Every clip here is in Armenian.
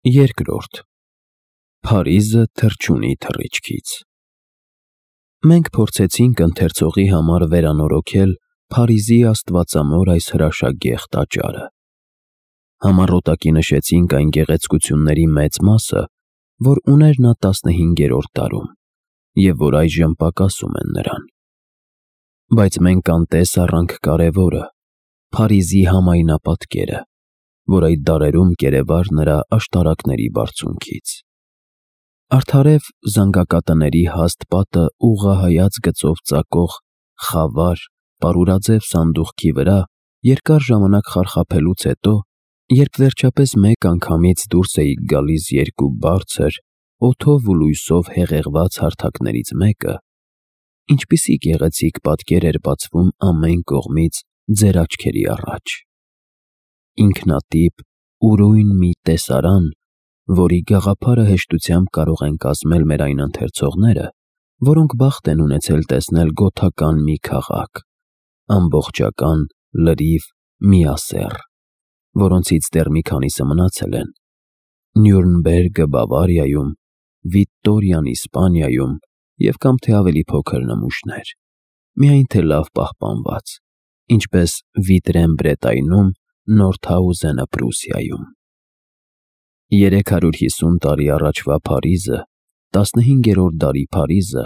Երկրորդ Փարիզը թռչունի թռիչքից։ Մենք փորձեցինք ընթերցողի համար վերանորոգել Փարիզի աստվածամոր այս հրաշագեղ տաճարը։ Համառոտակի նշեցինք այն գեղեցկությունների մեծ մասը, որ ուներ նա 15-րդ դարում, և որ այժմ պակասում են նրան։ Բայց մենք անտես առանք կարևորը՝ Փարիզի համայնապատկերը, որ այդ դարերում կերևար նրա աշտարակների բարձունքից։ Արդարև զանգակատների հաստ պատը ուղղահայաց գծով ծակող խավար, պարուրաձև սանդուղքի վրա երկար ժամանակ խարխափելուց հետո, երբ վերջապես մեկ անգամից դուրս էիք գալիս երկու բարձր, օդով ու լույսով հեղեղված հարթակներից մեկը, ինչպիսի գեղեցիկ պատկեր էր բացվում ամեն կողմից ձեր աչքերի առաջ։ Ինքնատիպ, ուրույն մի տեսարան, որի գաղափարը հեշտությամբ կարող են կազմել մեր այն ընթերցողները, որոնք բախտ են ունեցել տեսնել գոթական մի քաղաք, ամբողջական, լրիվ, միասեռ, որոնցից դեռ մի քանիսը մնացել են Նյուրնբերգը Բավարիայում, Վիտտորիան Իսպանիայում և կամ թե ավելի փոքր նմուշներ, միայն թե լավ պահպանված, ինչպես Վիտրեն Բրետայնում, Նորթհաուզենը Պրուսիայում։ 350 տարի առաջվա Փարիզը, 15-րդ դարի Փարիզը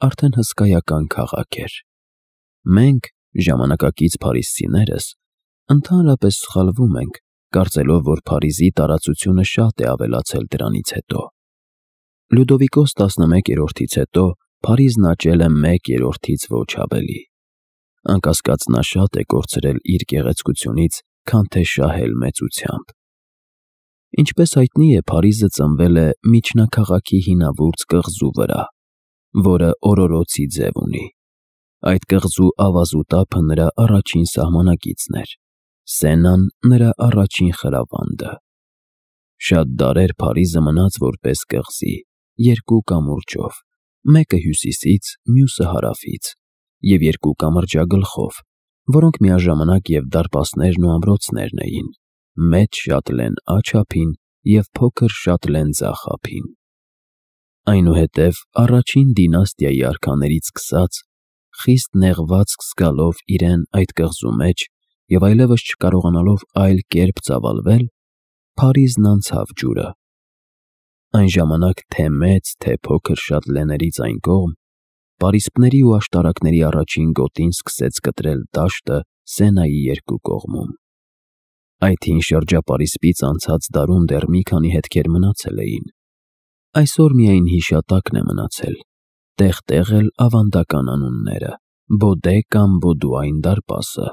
արդեն հսկայական քաղաք էր։ Մենք, ժամանակակից փարիզցիներս, ընդհանրապես սխալվում ենք, կարծելով, որ Փարիզի տարածությունը շատ է ավելացել դրանից հետո։ Լյուդովիկոս 11-րդից հետո Փարիզն աճել է 1/3-ից ոչ ավելի։ Անկասկած նա շատ է կորցրել իր գեղեցկությունից, քան թե շահել մեծությամբ։ Ինչպես հայտնի է, Փարիզը ծնվել է միջնաքաղաքի հինավուրց կղզու վրա, որը օրորոցի ձև ունի։ Այդ կղզու ավազուտափը նրա առաջին սահմանակիցն էր, Սենան նրա առաջին խրավանդը։ Շատ դարեր Փարիզը մնաց որպես կղզի, երկու կամուրջով, մեկը հյուսիսից, մյուսը հարավից, և երկու կամրջագլխով, որոնք միաժամանակ և դարպասներն ու ամրոցներն էին, մեծ շատլեն աջափին և փոքր շատլեն ձախ ափին։ Այնուհետև առաջին դինաստիայի արքաներից սկսած, խիստ նեղվածք զգալով իրեն այդ կղզու մեջ և այլևս չկարողանալով այլ կերպ ծավալվել, Փարիզն անցավ ջուրը։ Այն ժամանակ թե մեծ, թե փոքր շատլեներից այն կողմ, պարիսպների ու աշտարակների առաջին գոտին սկսեց կտրել դաշտը Սենայի երկու կողմում։ Այդ հին շրջապարիսպից անցած դարում դեռ մի քանի հետքեր մնացել էին։ Այսօր միայն հիշատակն է մնացել, տեղ-տեղ էլ ավանդական անունները՝ Բոդե կամ Բոդուայն դարպասը։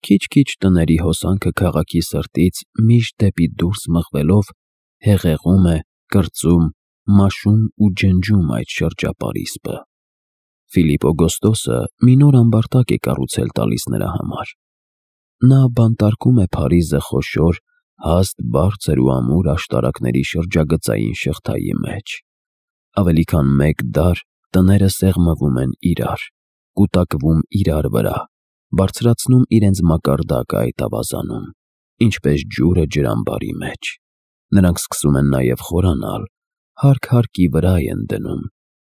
Քիչ-քիչ տների հոսանքը քաղաքի սրտից միշտ դեպի դուրս մղվելով հեղեղում է, կրծում, մաշում ու ջնջում այդ շրջապարիսպը։ Ֆիլիպ Օգոստոսը մի նոր ամբարտակ է կառուցել տալիս նրա համար։ Նա բանտարկում է Փարիզը խոշոր, հաստ, բարձր ու ամուր աշտարակների շրջագծային շղթայի մեջ։ Ավելի քան մեկ դար տները սեղմվում են իրար, կուտակվում իրար վրա, բարձրացնում իրենց մակարդակը այդ ավազանում, ինչպես ջուրը ջրամբարի մեջ։ Նրանք սկսում են նաև խորանալ, հարկ հարկի վրա են դնում,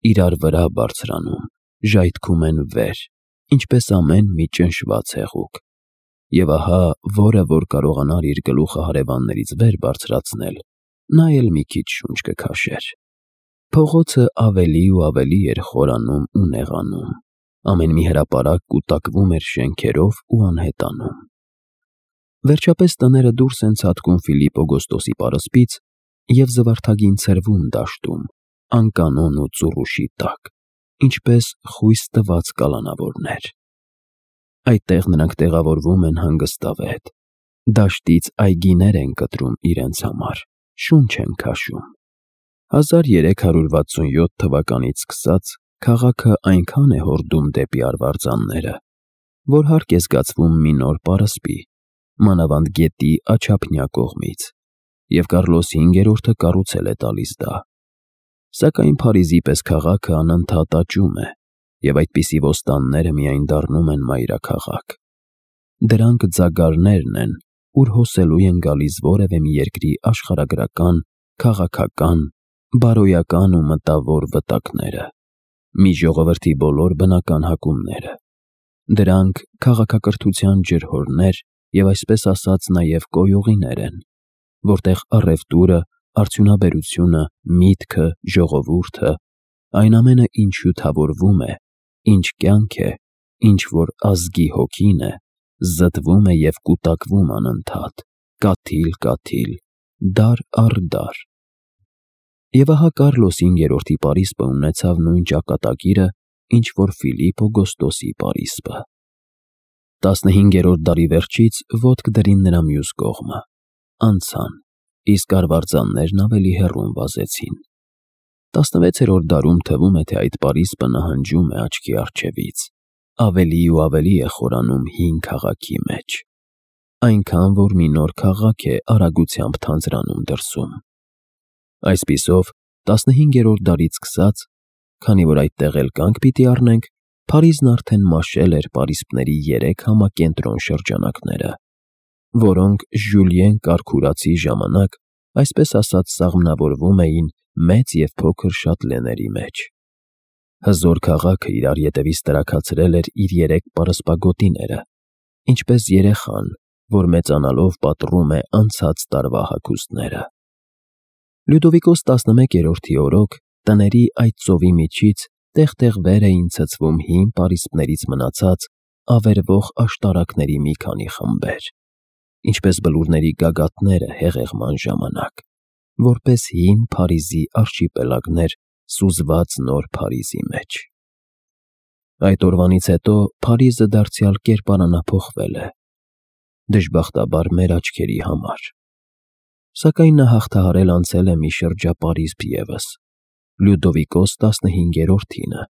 իրար վրա բարձրանում, ժայթքում են վեր, ինչպես ամեն մի ճնշված հեղուկ։ Եվ ահա, որը որ կարողանար իր գլուխը հարևաններից վեր բարձրացնել, նա էլ մի քիչ շունչ կքաշեր։ Փողոցը ավելի ու ավելի էր խորանում ու նեղանում, ամեն մի հրապարակ կուտակվում էր շենքերով ու անհետանում։ Վերջապես տները դուրս են ցատկում Ֆիլիպ Օգոստոսի պարսպից և զվարթագին ցրվում դաշտում, անկանոն ու ծուռուշի տակ, ինչպես խույս տված կալանավորներ։ Այդտեղ նրանք տեղավորվում են հանգստավետ, դաշտից այգիներ են կտրում իրենց համար, շունչ են քաշում։ 1367 թվականից սկսած քաղաքը այնքան է հորդում դեպի արվարձանները, որ հարկ է զգացվում մի նոր պարսպի, մանավանդ գետի աջափնյա կողմից, և Կարլոս 5-րդը կառուցել է տալիս դա։ Սակայն Փարիզի պես քաղաքը անընդհատ աճում է, և այդպիսի ոստանները միայն դառնում են մայրաքաղաք։ Դրանք ձագարներն են, ուր հոսելու են գալիս որևէ մի երկրի աշխարհագրական, քաղաքական, բարոյական ու մտավոր վտակները, մի ժողովրդի բոլոր բնական հակումները։ Դրանք քաղաքակրթության ջրհորներ և այսպես ասած նաև կոյուղիներ են, որտեղ առևտուրը, արդյունաբերությունը, միտքը, ժողովուրդը, այն ամենը, ինչ հյութավորվում է, ինչ կյանք է, ինչ որ ազգի հոգին է, զտվում է և կուտակվում անընդհատ, կաթիլ, դար առ դար։ Եվ ահա Կառլոս 5-րդի պարիսպը ունեցավ նույն ճակատագիրը, ինչ որ Ֆիլիպ Օգոստոսի պարիսպը։ 15-րդ դարի վերջից ոտք դրին նրա մյուս կողմը, անցան, իսկ արվարձաններն ավելի հեռուն վազեցին։ 16-րդ դարում թվում է, թե այդ պարիսպը նահանջում է աչքի առջևից, ավելի ու ավելի է խորանում հին քաղաքի մեջ, այնքան, որ մի նոր քաղաք է արագությամբ թանձրանում դրսում։ Այսպիսով, 15-րդ դարից սկսած, քանի որ այդտեղ էլ կանգ պիտի առնենք, Փարիզն արդեն մաշել էր պարիսպների 3 համակենտրոն շրջանակները, որոնք Ժյուլիեն Կարքուրացի ժամանակ, այսպես ասած, սաղմնավորվում էին մեծ և փոքր շատլեների մեջ։ Հզոր քաղաքը իրար ետևից տրաքացրել էր իր 3 պարսպագոտիները, ինչպես երեխան, որ մեծանալով պատռում է անցած տարվա հագուստները։ Լյուդովիկոս 11-րդի օրոք տների այդ ծովի միջից տեղ-տեղ վեր էին ցցվում հին պարիսպներից մնացած ավերվող աշտարակների մի քանի խմբեր, ինչպես բլուրների գագաթները հեղեղման ժամանակ, որպես հին Փարիզի արշիպելագներ սուզված նոր Փարիզի մեջ։ Այդ օրվանից հետո Փարիզը դարձյալ կերպարանափոխվել է, դժբախտաբար մեր աչքերի համար։ Սակայն նա հաղթահարել անցել է մի շրջապարիսպ ևս, Լյուդովիկոս 15-րդինը,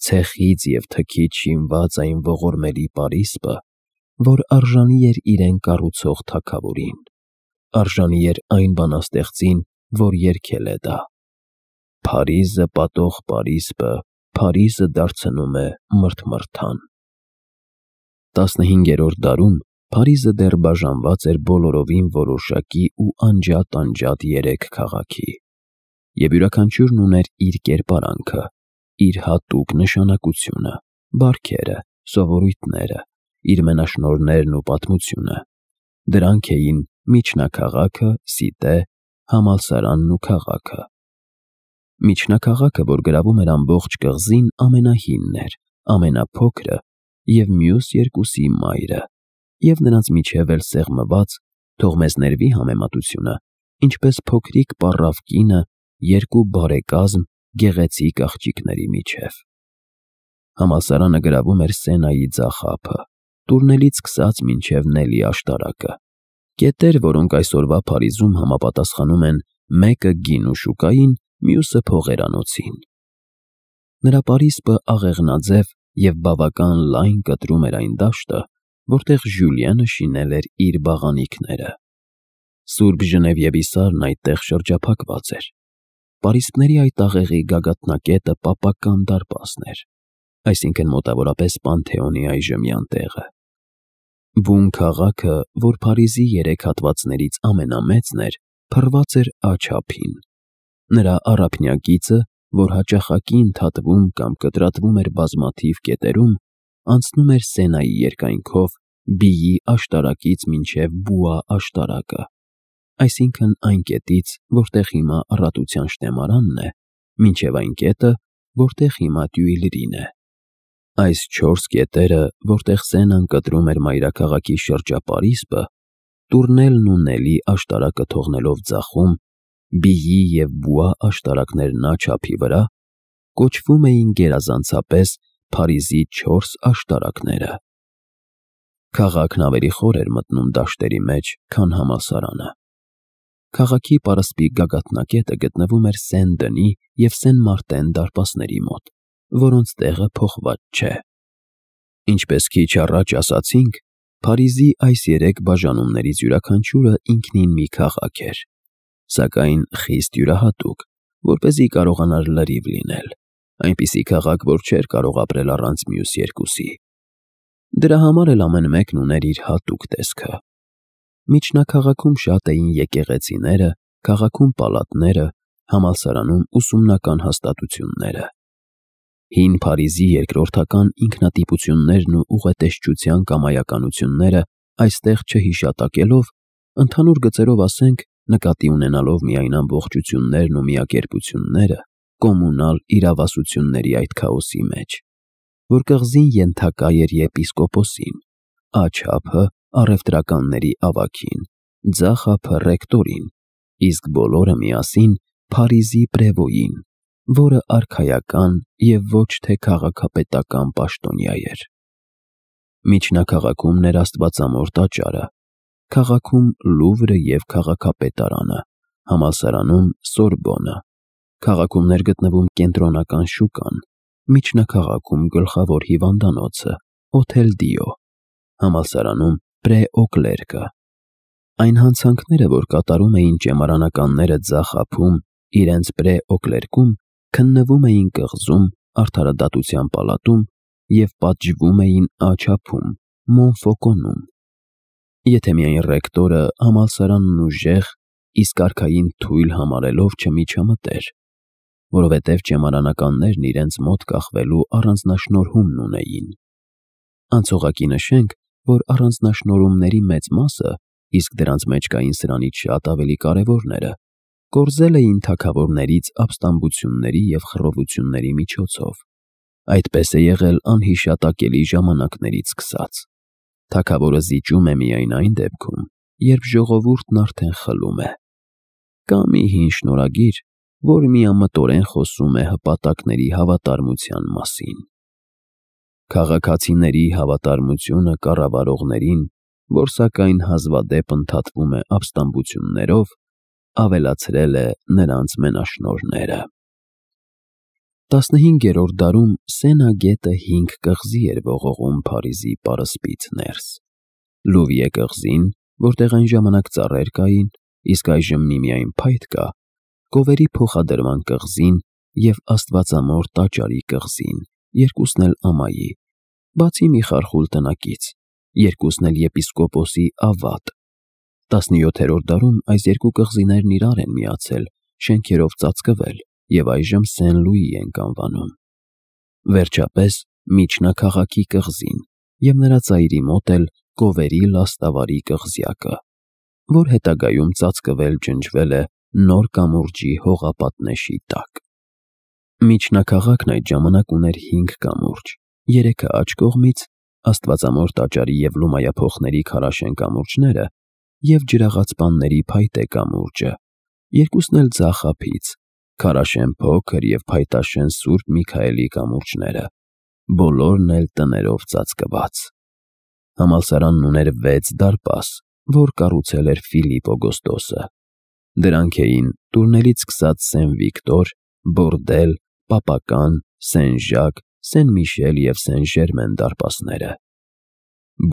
ցեխից և թքից շինված այն ողորմելի պարիսպը, որ արժանի էր իրեն կառուցող թագավորին, արժանի էր այն բանաստեղծին, որ երգել է դա. «Փարիզը պատող պարիսպը, Փարիզը դարձնում է մրթմրթան»։ 15-րդ դարում Փարիզը դեռ բաժանված էր բոլորովին որոշակի ու անջատ 3 քաղաքի, և յուրաքանչյուրն ուներ իր կերպարանքը, իր հատուկ նշանակությունը, բարքերը, սովորույթները, իր մենաշնորհներն ու պատմությունը։ Դրանք էին միջնաքաղաքը, Սիտե, համալսարանն ու քաղաքը։ Միջնաքաղաքը, որ գրավում էր ամբողջ կղզին, ամենահինն էր, ամենափոքրը և մյուս երկուսի մայրը, և նրանց միջև էլ սեղմված, թող մեզ ներվի համեմատությունը, ինչպես փոքրիկ պառավ կինը 2 բարեկազմ գեղեցիկ աղջիկների միջև։ Համալսարանը գրավում էր Սենայի ձախ ափը, Տուրնելից սկսած մինչև Նելի աշտարակը, կետեր, որոնք այսօրվա Փարիզում համապատասխանում են մեկը գինու շուկային, մյուսը փողերանոցին։ Նրա պարիսպը աղեղնաձև և բավական լայն կտրում էր այն դաշտը, որտեղ Ժյուլիանը շինել էր իր բաղանիքները։ Սուրբ Ժնևիևի սարն այդտեղ շրջափակված էր։ Պարիսպների այդ աղեղի գագաթնակետը պապական դարպասն էր, այսինքն մոտավորապես Պանթեոնի այժմյան տեղը։ Բուն քաղաքը, որ Փարիզի 3 հատվածներից ամենամեծն էր, փռված էր աջ ափին։ Նրա առափնյա գիծը, որ հաճախակի ընդհատվում կամ կտրատվում էր բազմաթիվ կետերում, անցնում էր Սենայի երկայնքով Բիի աշտարակից մինչև Բուա աշտարակը, այսինքն այն կետից, որտեղ հիմա Առատության շտեմարանն է, մինչև այն կետը, որտեղ հիմա Տյուիլրին է։ Այս 4 կետերը, որտեղ Սենան կտրում էր մայրաքաղաքի շրջապարիսպը, Տուրնելն ու Նելի աշտարակը թողնելով ձախում, Բիի և Բուա աշտարակներն աջ ափի վրա, կոչվում էին գերազանցապես Փարիզի 4 աշտարակները։ Քաղաքն ավելի խոր էր մտնում դաշտերի մեջ, քան համալսարանը։ Քաղաքի պարսպի գագաթնակետը գտնվում էր Սեն-Դնի և Սեն-Մարտեն դարպասների մոտ, որոնց տեղը փոխված չէ։ Ինչպես քիչ առաջ ասացինք, Փարիզի այս 3 բաժանումներից յուրաքանչյուրը ինքնին մի քաղաք էր, սակայն խիստ յուրահատուկ, որպեսզի կարողանար լրիվ լինել, այնպիսի քաղաք, որ չէր կարող ապրել առանց մյուս երկուսի։ Դրա համար էլ ամեն մեկն ուներ իր հատուկ տեսքը։ Միջնակաղաքում շատ էին եկեղեցիները, քաղաքում պալատները, համալսարանում ուսումնական հաստատությունները։ Հին Փարիզի երկրորդական ինքնատիպություններն ու ուղետեսչության կամայականությունները այստեղ չհիշատակելով, ընդհանուր գծերով ասենք, նկատի ունենալով միայն ամբողջություններն ու միակերպությունները, կոմունալ իրավասությունների այդ քաոսի մեջ, որ կղզին ենթակա էր եպիսկոպոսին, աչափը առևտրականների ավագին, ձախ ափը ռեկտորին, իսկ բոլորը միասին Փարիզի պրևոյին, որը արքայական և ոչ թե քաղաքապետական պաշտոնյա էր։ Միջնակաղաքում ներաստվածամոր տաճարը, քաղաքում Լուվրը և քաղաքապետարանը, համալսարանում Սորբոնը, քաղաքում ներգտնվում կենտրոնական շուկան, միջնակաղաքում գլխավոր հիվանդանոցը, Հոթել Դիո, համալսարանում Պրեօկլերկը։ Այն հանցանքները, որ կատարում էին ճեմարանականները ձախ ափում, իրենց Պրեօկլերկում, քննվում էին կղզում, արդարադատության պալատում և պատժվում էին աչափում, Մոնֆոկոնում։ Եթե միայն ռեկտորը համալսարանն ուժեղ, իսկ արքային թույլ համարելով չմիջամտեր, որովհետև ճեմարանականներն իրենց մոտ կախվելու առանձնաշնորհումն ունեին։ Անցողակի նշենք, որ առանձնաշնորհումների մեծ մասը, իսկ դրանց մեջ կային սրանից շատ ավելի կարևորները, կորզել էին թագավորներից ապստամբությունների և խռովությունների միջոցով։ Այդպես է եղել անհիշատակելի ժամանակներից սկսած։ Թագավորը զիջում է միայն այն դեպքում, երբ ժողովուրդն արդեն խլում է։ Կա մի հին շնորհագիր, որ միամտորեն խոսում է հպատակների հավատարմության մասին։ Քաղաքացիների հավատարմությունը կառավարողներին, որ սակայն հազվադեպ ընդհատվում է ապստամբություններով, ավելացրել է նրանց մենաշնորհները։ 15-րդ դարում Սենա գետը 5 կղզի էր ողողում Փարիզի պարսպից ներս։ Լուվիե կղզին, որտեղ այն ժամանակ ծառեր կային, իսկ այժմ միմիայն փայտ կա, Կովերի փոխադրման կղզին և Աստվածամոր տաճարի կղզին, երկուսն էլ ամայի, բացի մի խարխուլ տնակից, երկուսն էլ եպիսկոպոսի ավատ։ 17-րդ դարում այս երկու կղզիներն իրար են միացել, շենքերով ծածկվել և այժմ Սեն-Լուի ենք անվանում։ Վերջապես միջնակաղաքի կղզին և նրա ծայրի մոտ էլ Կովերի լաստավարի կղզյակը, որ հետագայում ծածկվել-ջնջվել է նոր կամուրջի հողապատնեշի տակ։ Միջնակաղաքն այդ ժամանակ ուներ 5 կամուրջ, 3-ը աջ կողմից, Աստվածամոր տաճարի և լումայափոխների քարաշեն կամուրջները և ջրաղացպանների փայտե կամուրջը, երկուսն էլ ձախ ափից, քարաշեն փոքր և փայտաշեն Սուրբ Միքայելի կամուրջները, բոլորն էլ տներով ծածկված։ Համալսարանն ուներ 6 դարպաս, որ կառուցել էր Ֆիլիպ Օգոստոսը։ Դրանք էին տուրնելից սկսած Սեն Վիկտոր, Բորդել, Պապական, Սեն Ժակ, Սեն Միշել և Սեն Ժերմեն դարպասները։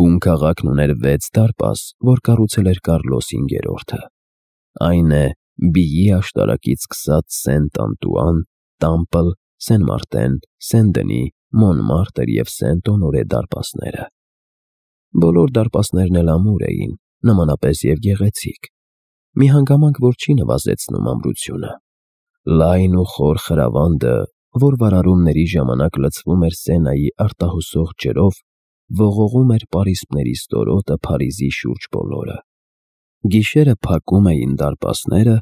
Բուն քաղաքն ուներ 6 դարպաս, որ կառուցել էր Կարլոս 5-րդը։ Այն է Բիի աշտարակից սկսած Սենտ Անտուան, Տամպլ, Սեն Մարտեն, Սեն Դնի, Մոնմարտր և Սենտ Օնորե դարպասները։ Բոլոր դարպասներն էլ ամուր էին, նմանապես և գեղեցիկ։ Մի հանգամանք, որ չի նվազեցնում ամրությունը։ Լայն ու խոր խրավանդը, որ վարարումների ժամանակ լցվում էր Սենայի արտահոսող ջրով, ողողում էր պարիսպների ստորոտը Փարիզի շուրջ բոլորը։ Գիշերը փակում էին դարպասները,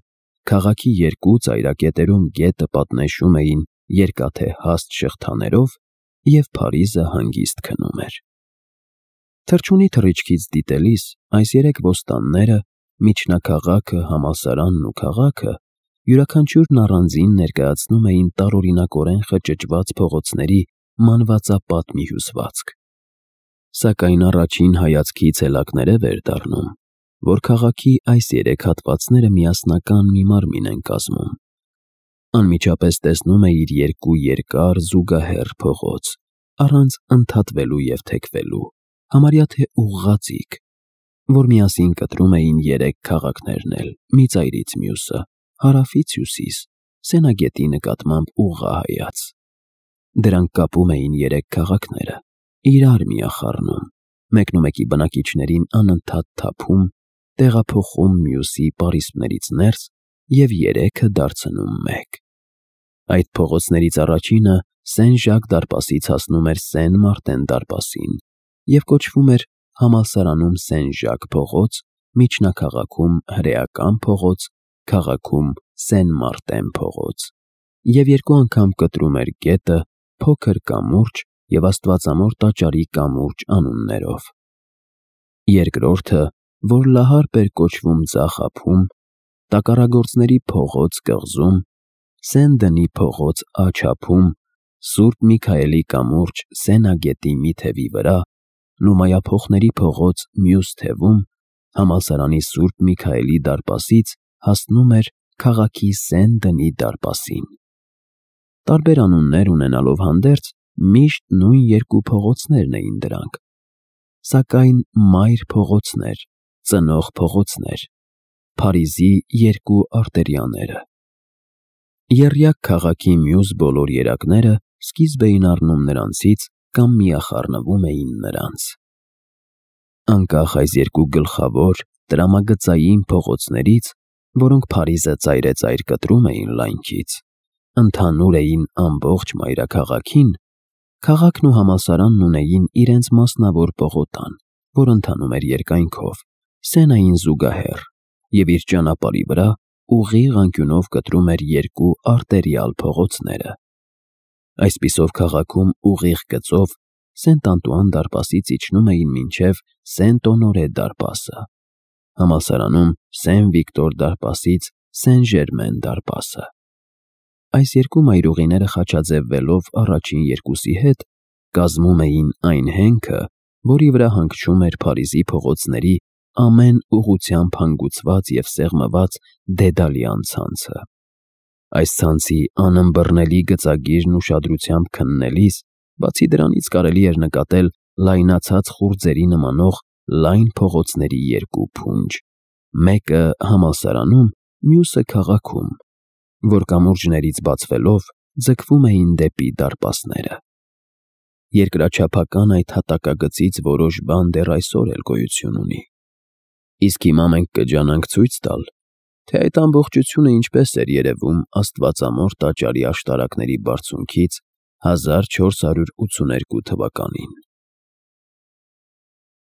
քաղաքի երկու ծայրակետերում գետը պատնեշում էին երկաթե հաստ շղթաներով, և Փարիզը հանգիստ քնում էր։ Թռչունի թռիչքից դիտելիս այս 3 ոստանները՝ միջնակաղաքը, համալսարանն ու քաղաքը, յուրաքանչյուրն առանձին ներկայացնում էին տարօրինակորեն խճճված փողոցների մանվածապատ մի հյուսվածք։ Սակայն առաջին հայացքից էլակներև էր դառնում, որ քաղաքի այս 3 հատվածները միասնական մի մարմին են կազմում։ Անմիջապես տեսնում էիր 2 երկար զուգահեռ փողոց, առանց ընդհատվելու և թեքվելու, համարյա թե ուղղաձիգ, որ միասին կտրում էին 3 քաղաքներն էլ, մի ծայրից մյուսը, հարավից հյուսիս, Սենագետի նկատմամբ ուղղահայաց։ Դրանք կապում էին 3 քաղաքները, իրար միախառնում, մեկնումեկի բնակիչներին անընդհատ թափում տեղափոխում մյուսի պարիսպներից ներս և երեքը դարձնում մեկ։ Այդ փողոցներից առաջինը Սեն-Ժակ դարպասից հասնում էր Սեն-Մարտեն դարպասին և կոչվում էր համալսարանում Սեն-Ժակ փողոց, միջնաքաղաքում Հրեական փողոց, քաղաքում Սեն-Մարտեն փողոց, և երկու անգամ կտրում էր գետը Փոքր կամուրջ և Աստվածամոր տաճարի կամուրջ անուններով։ Երկրորդը, որ Լահարբ էր կոչվում Ձախ ափում, Տակառագործների փողոց կղզում, Սեն-Դնի փողոց Աջ ափում, Սուրբ Միքայելի կամուրջ Սենագետի մի թևի վրա, Լումայափոխների փողոց մյուս թևում, համալսարանի Սուրբ Միքայելի դարպասից հասնում էր քաղաքի Սեն-Դնի դարպասին։ Տարբեր անուններ ունենալով հանդերձ, միշտ նույն երկու փողոցներն էին դրանք, սակայն մայր փողոցներ, ծնող փողոցներ, Փարիզի երկու արտերիաները։ Եռյակ քաղաքի մյուս բոլոր երակները սկիզբ էին առնում նրանցից կամ միախառնվում էին նրանց։ Անկախ այս երկու գլխավոր տրամագծային փողոցներից, որոնք Փարիզը ծայրեծայր կտրում էին լայնքից, ընդհանուր էին ամբողջ մայրաքաղաքին, քաղաքն ու համալսարանն ունեին իրենց մասնավոր պողոտան, որ ընթանում էր երկայնքով, Սենային զուգահեռ, և իր ճանապարհի վրա ուղիղ անկյունով կտրում էր երկու արտերիալ փողոցները։ Այսպիսով քաղաքում ուղիղ գծով Սենտ-Անտուան դարպասից իջնում էին մինչև Սենտ-Օնորե դարպասը, համալսարանում Սեն-Վիկտոր դարպասից Սեն-Ժերմեն դարպասը։ Այս երկու մայրուղիները խաչաձևվելով առաջին երկուսի հետ կազմում էին այն հենքը, որի վրա հանգչում էր Փարիզի փողոցների ամեն ուղղությամբ հանգուցված և սեղմված դեդալյան ցանցը։ Այս ցանցի անըմբռնելի գծագիրն ուշադրությամբ քննելիս, բացի դրանից կարելի էր նկատել լայնացած խուրձերի նմանող լայն փողոցների երկու փունջ, մեկը համալսարանում, մյուսը քաղաքում, որ կամուրջներից բացվելով ձգվում էին դեպի դարպասները։ Երկրաչափական այդ հատակագծից որոշ բան դեռ այսօր էլ գոյություն ունի։ Իսկ հիմա մենք կջանանք ցույց տալ, թե այդ ամբողջությունը ինչպես էր երևում Աստվածամոր տաճարի աշտարակների բարձունքից 1482 թվականին։